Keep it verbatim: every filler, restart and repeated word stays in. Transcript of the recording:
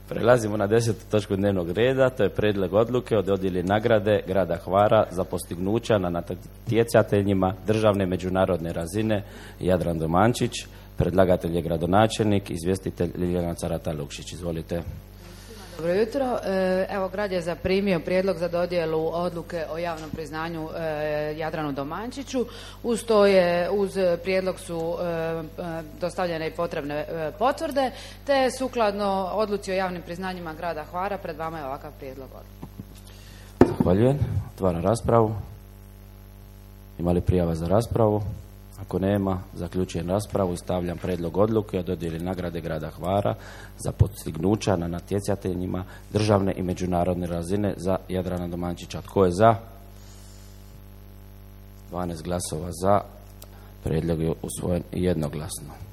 Prelazimo na desetu točku dnevnog reda, to je prijedlog odluke o dodjeli nagrade grada Hvara za postignuća na natjecateljima državne međunarodne razine Jadran Domančić. Predlagatelj je gradonačelnik, izvjestitelj Ljiljana Carata Lukšić. Izvolite. Dobro jutro. Evo, grad je zaprimio prijedlog za dodjelu odluke o javnom priznanju Jadranu Domančiću. Uz to je, uz prijedlog su dostavljene i potrebne potvrde, te sukladno odluci o javnim priznanjima grada Hvara pred vama je ovakav prijedlog odluke. Zahvaljujem. Otvaram raspravu. Ima li prijava za raspravu? Ako nema, zaključujem raspravu i stavljam prijedlog odluke o dodjeli nagrade grada Hvara za postignuća na natjecateljima državne i međunarodne razine za Jadrana Domančića. Tko je za? dvanaest glasova za. Prijedlog je usvojen jednoglasno.